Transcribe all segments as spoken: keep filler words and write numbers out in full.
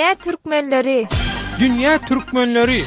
Dünýä türkmenleri! Dünýä türkmenleri!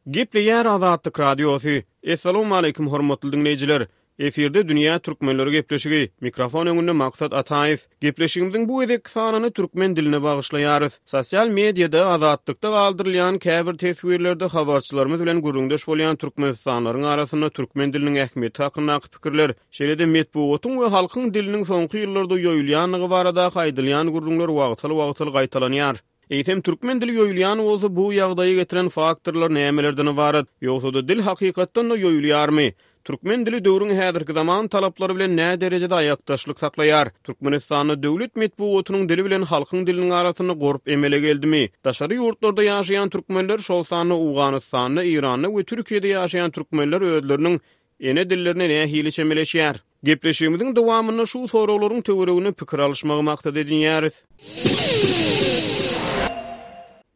Gepleýär Azatlyk Radiosy. Essalawmaleýkim hormatly diňleýjiler! Efirde Dünýä türkmenleri gepleşigi. Mikrofon öňünde Maksat Ataýew. Gepleşigimiziň bu gezekki sanyny türkmen diline bagyşlaýarys. Sosial mediada Azatlykda galdyrylýan käbir teswirlerde habarçylarymyz bilen gürrüňdeş bolýan türkmenistanlylaryň arasynda türkmen diliniň ähmiýeti hakyndaky pikirler, şeýle-de metbugatyň we halkyň diliniň soňky ýyllarda ýoýulýandygy baradaky aýdylýan gürrüňler wagtal-wagtal gaýtalanýar. Eýsem, türkmen dili ýoýulýan bolsa, bu ýagdaýa getiren faktorlar nämelerden ybarat? Ýogsa-da dil hakykatdan-da ýoýulýarmy? Türkmen dili döwrüň häzirki zaman talaplary bilen näderejede aýakdaşlyk saklaýar? Türkmenistanda döwlet metbugatynyň dili bilen halkyň diliniň arasynda gorp emele geldimi? Daşary ýurtlarda ýaşaýan türkmenler, şol sanda Owganystanda, Eýranda we Türkiýede ýaşaýan türkmenler özleriniň ene dillerine nähili çemeleşýär? Gepleşigimiziň dowamynda şu soraglaryň töwereginde pikir alyşmagy maksat edinýäris.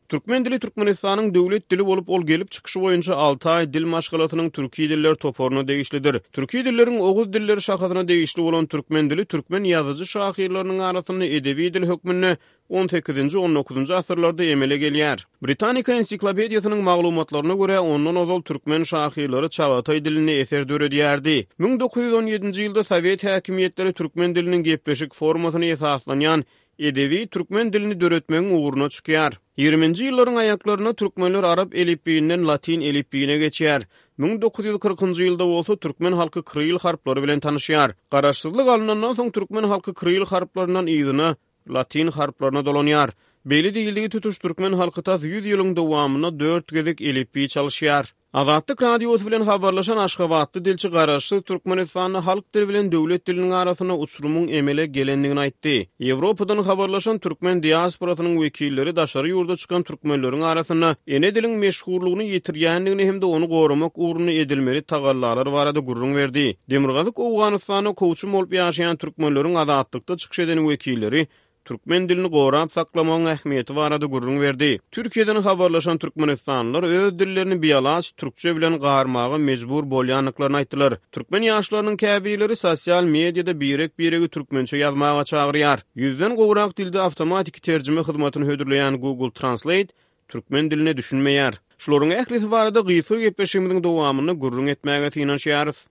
Türkmen dili Türkmenistanyň döwlet dili bolup, ol gelip çykyşy boýunça altaý dil maşgalasynyň türki diller toparyna degişlidir. Türki dilleriň oguz dilleri şahasyna degişli bolan türkmen dili türkmen ýazyjy-şahyrlarynyň arasynda edebi dil hökmünde on sekizinji, on dokuzynjy asyrlarda emele gelýär. Britanika ensiklopediýasynyň maglumatlaryna görä, ondan ozal türkmen şahyrlary çagataý dilinde eser döredýärdi. Müň dokuz ýüz on ýedinji ýylda sowet häkimiýetleri türkmen diliniň gepleşik formasyna esaslanýan edebi türkmen dilini döretmegiň ugruna çykýar. Ýigriminji ýyllaryň aýaklarynda türkmenler arap elipbiýinden latyn elipbiýine geçýär. Müň dokuz ýüz kyrkynjy ýylda bolsa türkmen halky krill harplary bilen tanyşýar. Garaşsyzlyk alnandan soň türkmen halky krill harplaryndan yzyna latyn harplaryna dolanýar. Beýle diýildigi tutuş türkmen halky tas ýüz ýylyň dowamynda dört gezek elipbiý çalyşýar. Azatlyk Radiosy bilen habarlaşan aşgabatly dilçi Garaşsyz Türkmenistanda halk dili bilen döwlet diliniň arasynda uçurymyň emele gelendigini aýtdy. Ýewropadan habarlaşan türkmen diasporasynyň wekilleri daşary ýurda çykan türkmenleriň arasynda ene diliň meşhurlygyny ýitirýändigini hem-de ony goramak ugrunda edilmeli tagallalar barada gürrüň berdi. Demirgazyk Owganystanda kowçum bolup ýaşaýan türkmenleriň Azatlykda çykyş eden wekilleri türkmen dilini gorap saklamagyň ähmiýeti barada gürrüň berdi. Türkiýeden habarlaşan türkmenistanlylar öz dillerini bialaç türkçe bilen garmaga mejbur bolýandyklaryny aýtdylar. Türkmen ýaşlarynyň käbirleri sosial mediada birek-biregi türkmençe ýazmaga çagyrýar. Ýüzden gowrak dilde awtomatiki terjime hyzmatyny hödürleýän Google Translate türkmen diline düşünmeýär. Şularyň ählisi barada gysga gepleşigimiziň dowamynda gürrüň etmäge synanyşýarys.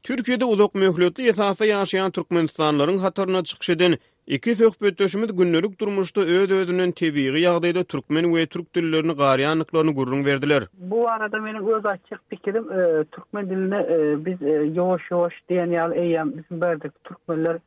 Türkiýede uzak möhletli esasda ýaşaýan türkmenistanlylaryň hatarynda çykyş eden iki söhbetdeşimiz gündelik durmuşda öz-özünden tebigy ýagdaýda türkmen we türk dillerini garýandyklaryny gürrüň berdiler. Bu arada meniň öz aýtjak pikirim, e, türkmen diline, e, biz, e, ýuwaş-ýuwaş diýen ýaly eýýäm bizim berdeki türkmenler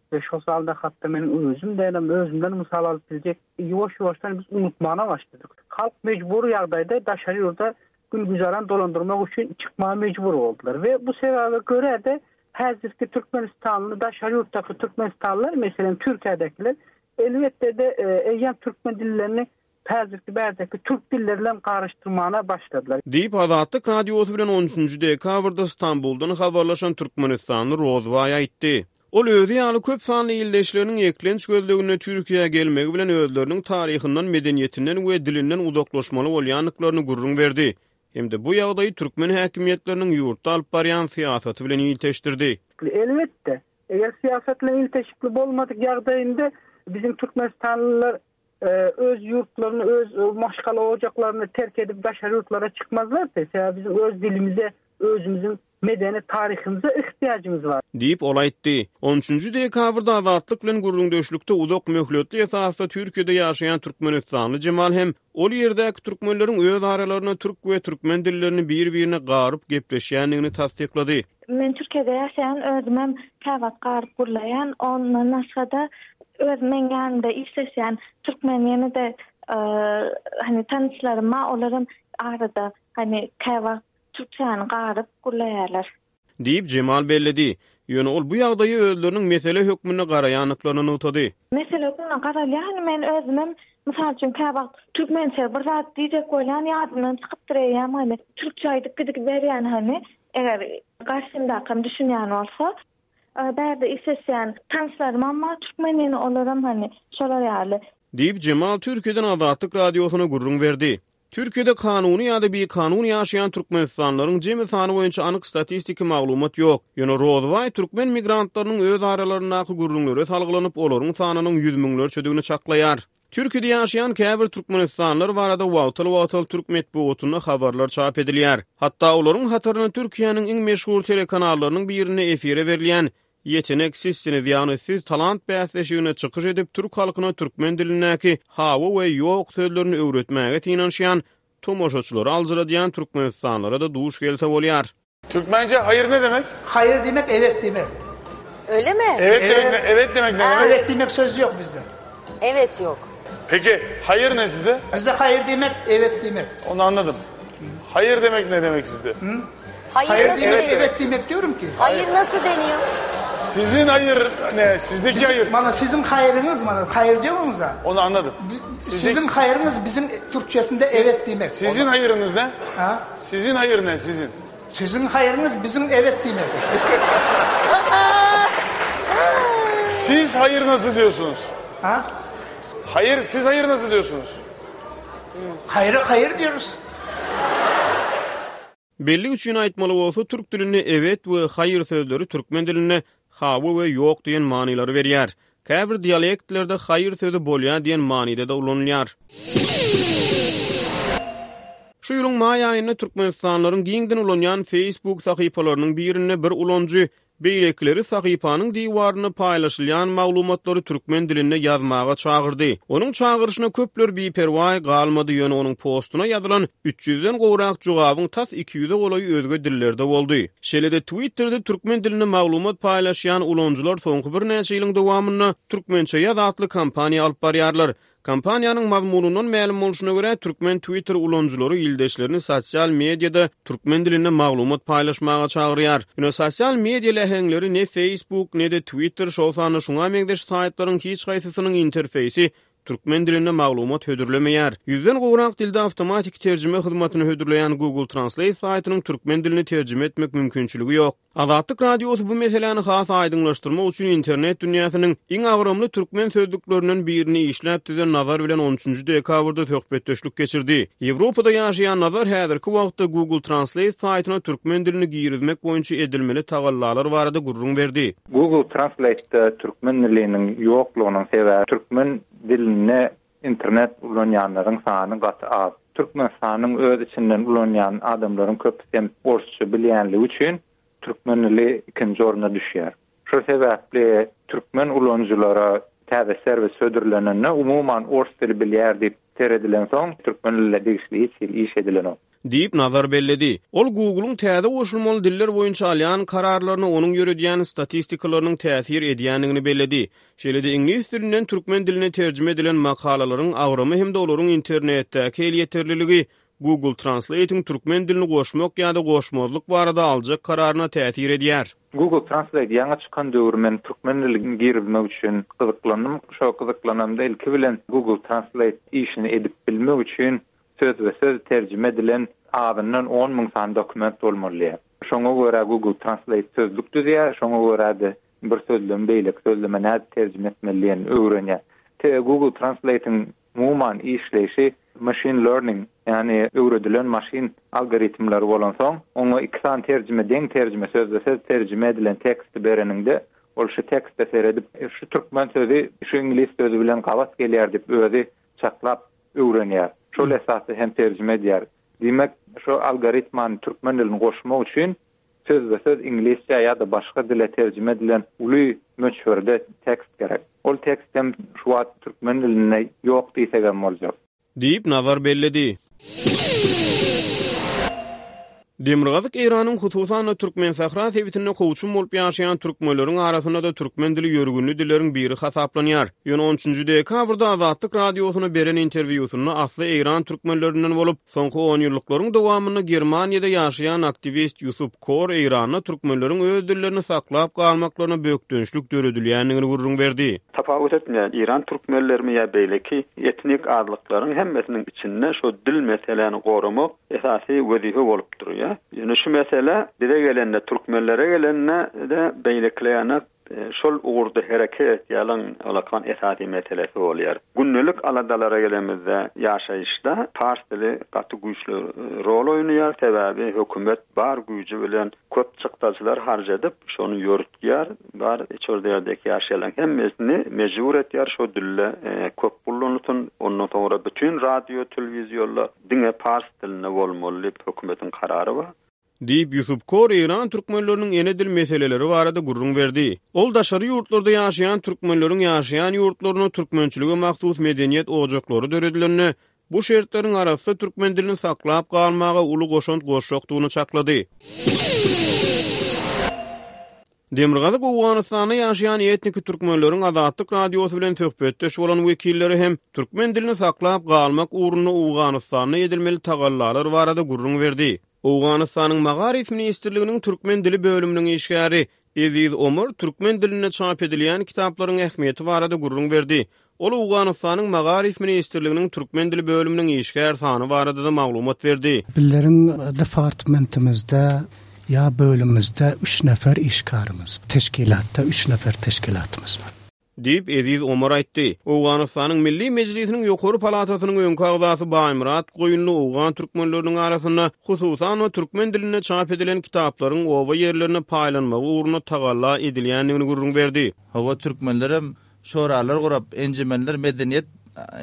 we şo salda hatda meniň özüm dänem özümden mysal alyp biljek ýuwaş-ýuwaşdan biz unutmana başladyk. Halk mejbur ýagdaýda daşary ýurda gün güzaran dolandyrmak üçin çykmaga mejbur boldular we bu sebäbe görä de häzirki Türkmenistanly daşary ýurtdaky türkmenistanlylar, meselem Türkiýedäkiler elbetde de, e, eýýäm türkmen dillerini häzirki bärdeki türk dilleri bilen garyşdyrmana başladylar. Diýip Azatlyk Radiosy bilen on üçünji dekabrda Stambuldan habarlaşan türkmenistanly Rozbaý aýtdy. Ol özi ýaly köp sanly ildeşleriniň eklenç gözleginde Türkiýä gelmegi bilen özleriniň taryhyndan, medeniýetinden we dilinden uzaklaşmaly bolýandyklaryny gürrüň berdi. Hem-de bu ýagdaýy türkmen häkimiýetleriniň ýurtda alyp barýan syýasaty bilen ilteşdirdi. Elbetde, eger syýasat bilen ilteşikli bolmadyk ýagdaýynda bizim türkmenistanlylar, e, öz ýurtlaryny, öz, e, maşgala ojaklaryny terk edip daşary ýurtlara çykmazlardy. Sebäbi bizim öz dilimize, özümüzün medeni taryhymyza ihtiyacımız var. Diýip ol aýtdy. On üçünji dekabrda Azatlyk bilen gürrüňdeşlikde uzak möhletli esasda Türkiýede ýaşaýan türkmenistanly Jemal hem ol ýerdäki türkmenleriň öz aralarynda türk we türkmen dillerini bir-birine garyp gepleşýändigini tassyklady. Men Türkiýede ýaşaýan, özümem käwagt garyp gurlaýan, ondan başga-da öz men ýanymda işleşýän türkmen ýene-de, e, hani tanyşlaryma olaram arada hani käwagt türkçäni garyp gurlaýarlar. Diýip Jemal belledi. Ýöne ol bu ýagdaýy özleriniň mesele hökmünde garaýandyklaryny nygtady. Mesele hökmünde garalýan, men özümem mysal üçin käwagt türkmençe bir zat diýjek bolýan ýadymdan çykypdyr eýýäm, hani türkçe aýdyp gidip berýän, hani eger garşymdakam düşünýän bolsa, e, bärde işleşýän tanyşlarym amma türkmen ýene olaram hani şolar ýaly. Diýip Jemal Türkiýeden Azatlyk Radiosyna gürrüň berdi. Türkiýede kanuny ýa-da bikanun ýaşaýan türkmenistanlylaryň jemi sany boýunça anyk statistiki maglumat ýok. Ýöne Rozybaý türkmen migrantlarynyň öz aralaryndaky gürrüňlere salgylanyp, olaryň sanynyň ýüz müňlerçedigini çaklaýar. Türkiýede ýaşaýan käbir türkmenistanlylar barada wagtal-wagtal türk metbugatynda habarlar çap edilýär. Hatda olaryň hataryna Türkiýäniň iň meşhur telekanallarynyň birinde efire berilýän Yetenek Sizsiniz, ýagny siz talant bäsleşigine çykyş edip, türk halkyna türkmen dilindäki hawa we ýok sözlerini öwretmäge synanyşýan tomaşaçylary aljyradýan türkmenistanlylara-da duş gelse bolýar. Türkmence hayır ne demek? Hayır demek evet demek. Öyle mi? Evet, demek ne, evet demek ne demek? Evet demek sözü yok bizde. Evet yok. Peki hayır ne sizde? Bizde hayır demek evet demek. Onu anladım. Hayır demek ne demek sizde? Hayır, Hayır nasıl demek deniyor? evet demek diyorum ki. Hayır nasıl deniyor? Sizin hayır ne? Sizdeki hayır. Bana sizin hayrınız bana hayır diyorsunuz ha. Onu anladım. Sizin hayrınız bizim Türkçesinde evet demek. Sizin hayırınız ne? Ha? Sizin hayır ne sizin? Sizin hayrınız bizim evet demek. Siz hayır nasıl diyorsunuz? Ha? Hayır siz hayır nasıl diyorsunuz? Hayırı hayır diyoruz. Belli üçin aýtmaly bolsa türk dilinde evet we hayır sözleri türkmen dilinde hawa we ýok diýen manylary berýär. Käbir dialektlerde hayır sözi bolýar diýen manyda da ulanylýar. Şu ýylyň maý aýynda Türkmenistanlylaryň giňden ulanýan Facebook sahypalarynyň birinde bir ulanyjy beýlekileri sahypanyň diwarynda paýlaşylýan maglumatlary türkmen dilinde ýazmaga çagyrdy. Onuň çagyryşyna köpler biperwaý galmady, ýöne onuň postuna ýazylan üç ýüzden gowrak jogabyň tas iki ýüze golaýy özge dillerde boldy. Şeýle-de Twitterde türkmen dilinde maglumat paýlaşýan ulanyjylar soňky birnäçe ýylyň dowamynda Türkmençe ýaz atly kampaniýa alyp barýarlar. Kampaniýanyň mazmunyndan mälim bolşuna görä türkmen Twitter ulanyjylary ildeşlerini sosial mediada türkmen dilinde maglumat paýlaşmaga çagyrýar. Ýöne sosial media läheňleri ne Facebook, ne de Twitter şol sanda şuňa meňzeş saýtlaryň hiç haýsysynyň interfeýsi türkmen dilinde maglumat hödürlemeýär. Ýüzden gowrak dilde awtomatik terjime hyzmatyny hödürleýän Google Translate saýtynyň türkmen dilini terjime etmek mümkinçiligi ýok. Azatlyk Radiosy bu meseläni has aýdyňlaşdyrmak üçin internet dünýäsiniň iň agramly türkmen sözlüklerinden birini işläp düzen Nazar bilen on üçünji dekabrda söhbetdeşlik geçirdi. Ýewropada ýaşaýan Nazar häzirki wagtda Google Translate saýtyna türkmen dilini girizmek boýunça edilmeli tagallalar barada gürrüň berdi. Google Translate'de türkmen diliniň ýoklugynyň sebäbi türkmen diline internet ulanýanlaryň sany gaty az. Türkmenistanyň öz içinden ulanýan adamlaryň köpüsi hem orsça bilýänligi üçin türkmen dili ikinji orna düşýär. Şu sebäpli türkmen ulanyjylara täze serwis hödürlenende umuman ors dili bilýär diýip seredilen soň türkmen diline degişli hiç hili iş edilenok. Diýip Nazar belledi. Ol Google'un täze goşulmaly diller boýunça alýan kararlaryny onuň ýöredýän statistikalarynyň täsir edýändigini belledi. Şeýle-de iňlis dilinden türkmen diline terjime edilen makalalaryň agramy hem-de olaryň internetdäki elýeterliligi Google Translate'in türkmen dilini goşmak ýa-da goşmazlyk barada aljak kararyna täsir edýär. Google Translate ýaňy çykan döwür men türkmen dilini girizmek üçin gyzyklandym. Şo gyzyklanamda ilki bilen Google Translate işini edip bilmek üçin söz we söz terjime edilen azyndan on müň sany dokument bolmaly. Şoňa görä Google Translate sözlük düzýär, şoňa görä de bir sözlem beýleki sözleme nädip terjime etmelidigini öwrenýär. Te Google Translate'in umuman işleýşi machine learning, ýagny öwredilen maşyn algoritmleri bolan soň, oňa iki sany terjime, deň terjime, sözle söz terjime edilen teksti bereninde ol şu tekste seredip, şu türkmen sözi şu iňlis sözi bilen gabat gelýär diýip özi çaklap öwrenýär. Şol esasda hem terjime edýär. Diýmek, şu algoritmany türkmen dilini goşmak üçin söz we söz iňlisçe ýa-da başga dile terjime edilen uly möçberde tekst gerek. Ol tekst hem şu wagt türkmen dilinde ýok diýsek hem boljak. Diýip Nazar belledi. Demirgazyk Eýranyň hususan-da Türkmen Sahra sebitinde kowçum bolup ýaşaýan türkmenleriň arasynda da türkmen dili ýörgünli dilleriň biri hasaplanýar. Ýöne on üçünji dekabrda Azatlyk Radiosyna beren interwýusynda asly Eýran türkmenlerinden bolup, soňky on ýyllyklaryň dowamynda Germaniýada ýaşaýan aktiwist Ýusuf Kor Eýranda türkmenleriň öz dillerini saklap galmaklaryna bökdençlik döredilýändigini gürrüň berdi. Tapawut etmeýän Eýran türkmenlerimi ýa beýleki etnik azlyklaryň hemmesiniň içinde şu dil meselelerini goramak esasy wezipe bolup durýar. Ýöne şu mesele bize gelende, türkmenlere gelende de beýlekilerine Şol ugurda hereket etýän alakan esasy meselesi bolýar. Gündelik aladalara gelemizde ýaşaýyşda pars dili gaty güýçli rol oýnaýar. Sebäbi hökümet bar güýji bilen köp çykdajylar harç edip, şonu ýörütýär. Bar içerdäki ýaşaýan hemmesini mejbur etýär şo dille köp ullanylsyn. Ondan soňra bütün radio, telewizyonlar diňe pars dilinde bolmaly diýip hökümetiň karary bar. Diýip Ýusup Kor Eýran türkmenleriniň ene dil meseleleri barada gürrüň berdi. Ol daşary ýurtlarda ýaşaýan türkmenleriň ýaşaýan ýurtlaryna türkmençilige mahsus medeniýet ojaklary döredilende, bu şertleriň arasy türkmen dilini saklap galmaga uly goşant goşjakdygyny çaklady. Demirgazyk Owganystanda ýaşaýan etniki türkmenleriň Azatlyk radiosy bilen söhbetdeş bolan wekilleri hem türkmen dilini saklap galmak ugrunda Owganystanda edilmeli tagallalar barada gürrüň berdi. Owganystanyň Magaryf Ministrliginiň Türkmen dili bölüminiň işgäri Eziz Omar türkmen dilinde çap edilýän kitaplaryň ähmiýeti barada gürrüň berdi. Ol Owganystanyň Magaryf Ministrliginiň Türkmen dili bölüminiň işgär sany barada da maglumat berdi. Bizleriň departamentimizde ya bölümimizde üç nefer işkarımız, teşkilatta üç nefer teşkilatımız var. Diýip Eziz Omar aýtdy. Owganystanyň Milli Mejlisiniň ýokary palatasynyň öňki agzasy Baýmyrat Goýunly Owgan türkmenleriniň arasynda hususan türkmen dilinde çap edilen kitaplaryň oba ýerlerine paýlanmagy ugrunda tagalla edilýändigini gürrüň berdi. Hawa türkmenlerem şoralar gurap, enjimenler medeniýet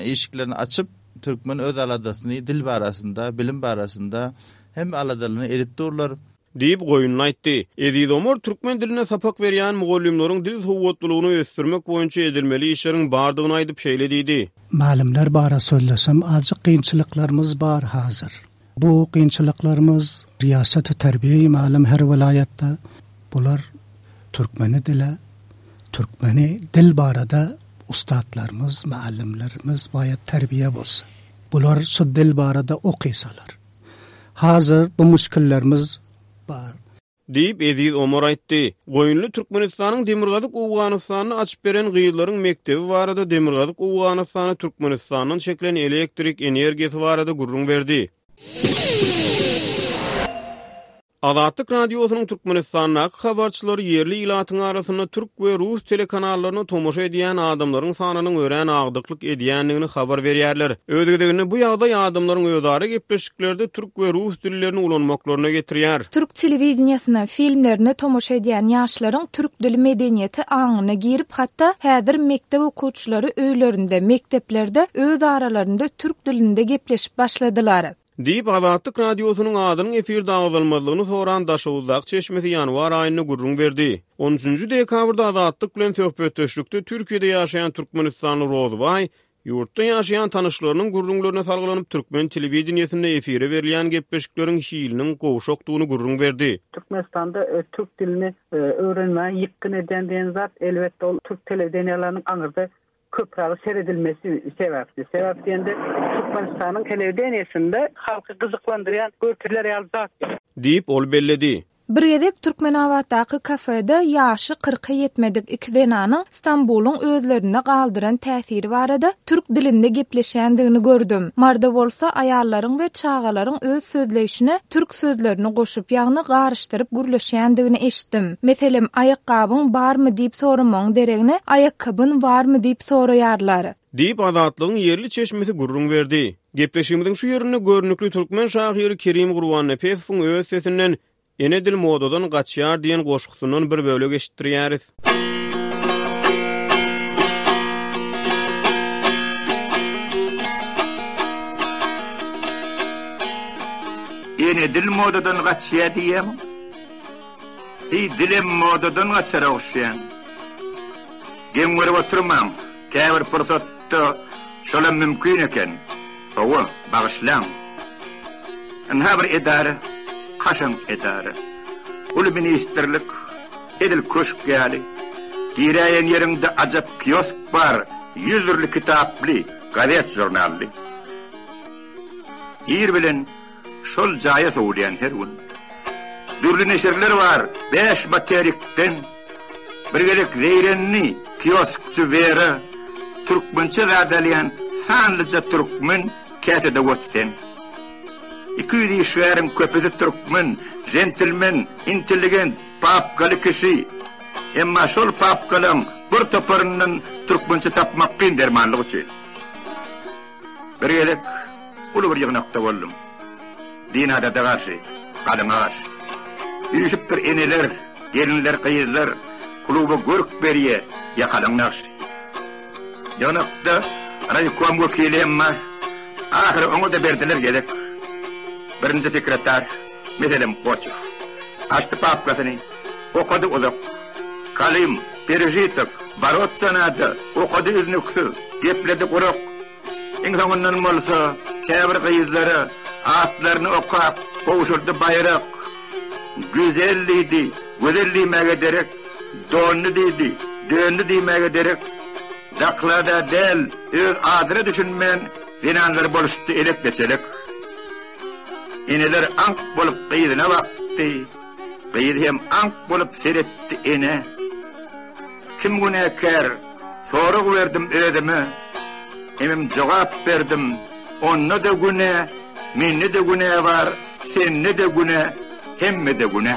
işiklerini açyp, türkmen öz aladasyny dil barasynda, bilim barasynda hem aladalyny edip durlar. Diýip Goýunly aýtdy. Eziz Omar türkmen diline sapak berýän mugallymlaryň dil sowatlylygyny ösdürmek boýunça edilmeli işleriň bardygyny aýdyp şeýle diýdi. Malimler bara sözlesem azıcık kynçylyklarymyz bar hazır. Bu kynçylyklarymyz riyaset-i terbiye malim her vilayette bular türkmeni dile, türkmeni dil barada ustadlarymyz, muallimlerimiz bayat terbiye bolsa. Bular şu dil barada okysalar. Hazır bu müşkillerimiz bar. Diýip Eziz Omar aýtdy. Goýunly Türkmenistanyň Demirgazyk Owganystanyny açyp beren gyzlaryň mekdebi barada Demirgazyk Owganystany Türkmenistandan çekilen elektrik energiýasy barada gürrüň berdi. Azatlyk radiosynyň Türkmenistandaky habarçylary ýerli ilatyň arasynda türk we rus telekanallaryna tomaşa edýän adamlaryň sanynyň örän agdyklyk edýändigini habar berýärler. Öz gezeginde bu ýagdaý adamlaryň özara gepleşiklerde türk we rus dillerini ulanmaklaryna getirýär. Türk telewizýasyna, filmlerine tomaşa edýän ýaşlaryň türk dili medeniýeti aňyna girip, hatda häzir mekdep okuwçylary öýlerinde, mekdeplerde öz aralarynda türk dilinde gepleşip başladylar. Diýip Azatlyk radiosynyň adynyň efirde agzalmazlygyny soran Daşoguzdak çeşmesi ýanwar aýynda gürrüň berdi. on üçünji dekabrda Azatlyk bilen söhbetdeşlikde Türkiýede ýaşaýan Türkmenistanly Rozbaý ýurtda ýaşaýan tanyşlarynyň gürrüňlerine salgylanyp türkmen telewideniýesinde efire berilýän gepleşikleriň hiliniň gowşakdygyny gürrüň berdi. Türkmenistanda e, türk dilini e, öwrenmäge ýykgyn eden diýen zat elbetde ol türk telewideniýalarының aňyrda köprägi seredilmesi sebäpli. Sebäp diýende Türkmenistanyň telewideniýasynda halky gyzyklandyrýan görkezler ýaly zat ýok. Diýip ol belledi. Bir gezek Türkmenabatdaky kafede ýaşy kyrka ýetmedik iki zenanyň Stambulyň özlerine galdyran täsiri barada türk dilinde gepleşendigini gördüm. Marda bolsa aýallaryň we çagalaryň öz sözleýşine türk sözlerini goşup, ýagny garyşdyryp gürleşendigini eşitdim. Meselem, aýakgabyň barmy diýip soramagyň deregine aýakgabyn barmy diýip soraýarlar. Diýip Azatlygyň ýerli çeşmesi gürrüň berdi. Gepleşigimiziň şu ýerinde görnükli türkmen şahyry Kerim Gurbannepesowyň öz sesinden Ene dil modadan gaçýar diýen goşgusundan bir bölek eşitdirýäris. Ene dil modadan gaçýar diýem. Hi dilem modadan gaçar ogşaýan. Geň görüp oturmaň, käbir pursatda şolam mümkin eken. Hawa, bagyşlaň. Ynha bir edara, kaşaň edara. Uly ministrlik, edil köşk ýaly. Giräýen ýeriňde ajap kiosk bar, ýüz dürli kitaply, gazet jurnally. Ir bilen şol jaýa sowulýan her gün. Dürli neşirler var, beş materikden. Bir gerek zeýrenli kioskçy Vera, türkmençe zadalýan sanlyca türkmen kätede otsen. Iki ýüz işgäriň köpüsi türkmen, jentilmen, intelligent, papkaly kişi. Emma şol papkalaň bir toparyndan türkmençe tapmak kyn dermanlyk üçin. Bir gezek uly bir ýygnakda boldum. Din adada garşy, galyňa garşy. Üýşüpdir eneler, gelinler, gyzlar, kluba görk berýä ýakalaň nagşy. Ýygnakda raýkom wekili hem bar. Ahyry oňa-da berdiler gezek. Birinji sekretar, meselem, Goçow. Açdy papkasyny, okady uzak. Kalym, perežitok, boroться nada, okady üznüksiz, gepledi gurak. Iň soňundan bolsa käbir gyzlara atlaryny okap, gowşurdy baýrak. Güzel diýdi, gözel diýmäge derek, dondy diýdi, döndi diýmäge derek. Daklada däl, öz adyna düşünmän, zenanlar boluşdy elek-beçelek. Eneler aňk bolup gyzyna bakdy, gyzy hem aňk bolup seretdi enä. Kim günäkär, sorag berdim özüme, hemem jogap berdim, onda-da günä, mende-de günä bar, sende-de günä, hemmede günä.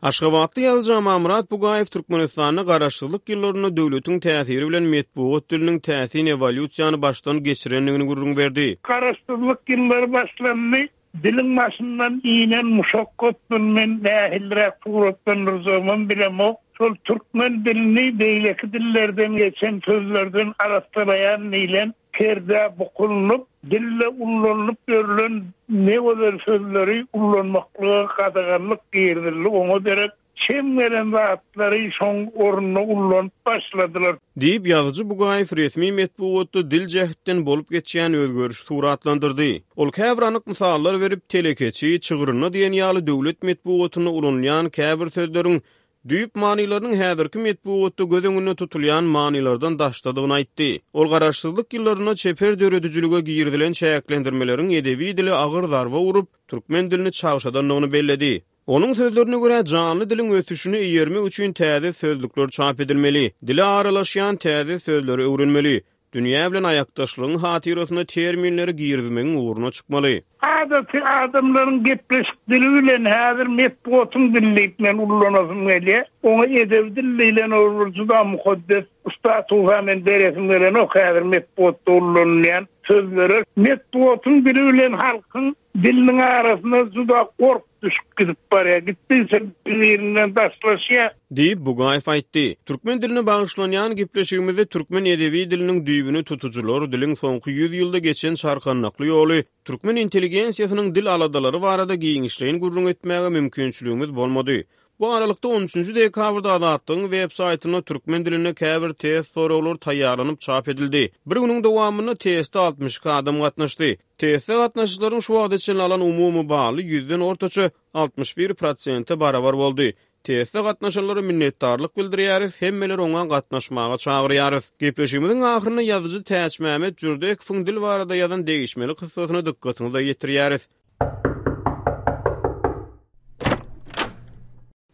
Aşgabatly ýazyjy Amanmyrat Bugaýew Türkmenistanda Garaşsyzlyk ýyllarynda döwletiň täsiri bilen metbugat diliniň täsin ewolýusiýany başdan geçirendigini gürrüň berdi. Garaşsyzlyk ýyllary başlandy, diliň başyndan inen muşakgat men nähiliräk suratlandyrjagymam bilemok. Şol türkmen dilini beýleki dillerden geçen sözlerden arassalaýan diýlen perdä bukulynyp, dille ullanylyp ýörülen ne gözel sözleri ullanmaklyga gadaganlyk girizildi. Oňa derek çem gelen zatlary şoň ornuna ullanyp başladylar. Diýip, ýazyjy Bugaýew resmi metbugatda dil jähtden bolup geçýän özgerişi suratlandyrdy. Ol käbir anyk mysallar berip, telekeçi, çygrynda diýen ýaly döwlet metbugatynda ulanylýan käbir sözleriň düýp manylarynyň häzirki metbugatda göz öňünde tutulýan manylardan daşdadygyny aýtdy. Ol garaşsyzlyk ýyllarynda çeper döredijilige girizilen çäklendirmeleriň edebi dile agyr zarba urup, türkmen dilini çagşadandygyny belledi. Onuň sözlerine görä, janly diliň ösüşini eýermek üçin täze sözlükler çap edilmeli, dile aralaşýan täze sözleri öwrenmeli, dünýä bilen aýakdaşlygyň hatyrasyna terminleri girizmegiň ugruna çykmaly. Adaty adamlaryň gepleşik dili bilen häzir metbugatyň dili diýip men ullanasym gelýär. Oňa edebi dil diýlen ol juda mukaddes statusa men beresim gelenok häzir metbugatda ullanylýan sözlere. Metbugatyň dili bilen halkyň diliniň arasynda juda gork düşüp gidip barýar. Gitdigiçe bir-birinden daşlaşýar. Diýip, Bugaýew aýtdy. Türkmen diline bagyşlanýan gepleşigimizde türkmen edebi diliniň düýbüni tutujylar, diliň soňky ýüz ýylda geçen çarkandakly ýoly, türkmen intelligensiýasynyň dil aladalary barada giňişleýin gürrüň etmäge mümkinçiligimiz bolmady. Bu aralykda on üçünji dekabrda Azatlygyň web saýtynda türkmen dilinde käbir test soraglary taýýarlanyp çap edildi. Bir günüň dowamynda teste altmyş iki adam gatnaşdy. Teste gatnaşyjylaryň şu wagta çenli alan umumy baly ýüzden ortaça altmyş bir prosente barabar boldy. Teste gatnaşanlara minnetdarlyk bildirýäris, hemmeler oňa gatnaşmaga çagyrýarys. Gepleşigimiziň ahyrynda ýazyjy Täçmämmet Jürdekowyň dil barada ýazan degişmeli kyssasyny dykgatyňyza ýetirýäris.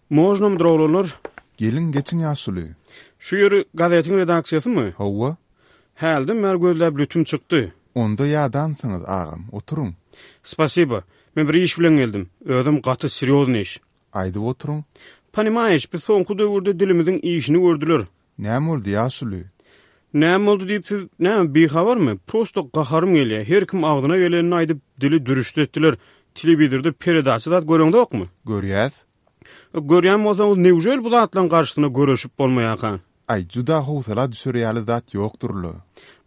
Možnom droglanlar? Geliň geçiň ýaşuly. Şu ýeri gazetiň redaksiýasymy? Hawa. Hälden bäri gözläp lütüm çykdy. Onda ýadansyňyz agam, oturyň. Spasiba. Men bir iş bilen geldim. Özüm gaty serýozny iş. Aýdyp oturyň. Panimaýeş, biz soňky döwürde dilimiziň işini gördüler. Näme boldy ýaşuly? Näme boldy diýip siz näme bihabarmy? Prosto gaharym gelýär. Her kim agzyna gelenini aýdyp dili dürüşdi etdiler. Telewizorda peredaça zat göreňzokmy? Görýäs. Görýän bolsaňyz, newžel bu zatlaryň garşysyna göreşip bolmaýarka? Aý, juda howsala düşer ýaly zat ýokdur-la.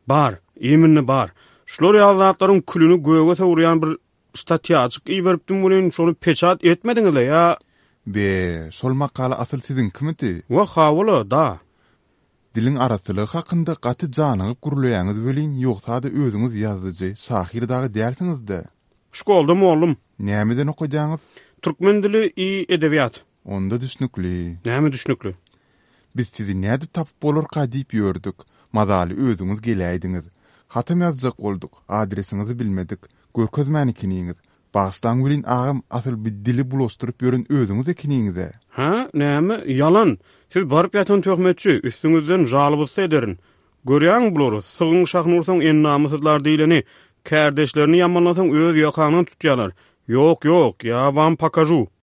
Bar, iminli bar. Şular ýaly zatlaryň külüni göge sowurýan bir statýajyk iberipdim welin, şony peçat etmediňiz-le ýa? Be, şol makala asyl siziňkimidi? Wah, hawa-la, da. Diliň arassalygy hakynda gaty janygyp gürleýäňiz welin, ýogsa-da özüňiz ýazyjy, şahyr dagy dälsiňiz-de. Şkolda mollum. Nämeden okadýaňyz? Türkmen dili i edebiýat. Onda düşnükli. Näme düşnükli? Biz sizi nädip tapyp bolarka diýip ýördük. Mazaly özüňiz geläýdiňiz. Hatam ýazjak bolduk, adresiňizi bilmedik. Görkezmän ekeniňiz. Bagyşlaň welin agam, asyl bir dili bulaşdyryp ýören özüňiz ekeniňiz-ä. Hä, näme? Ýalan. Siz baryp ýatan töhmetçi, üstüňizden jalybysy ederin. Görýäňmi bulary, sygyň şahyny ursaň endamysyzlar diýleni, kärdeşlerini ýamanlasaň öz ýakaňdan tutýarlar. Ýok, ýok, ýa wam pokažu.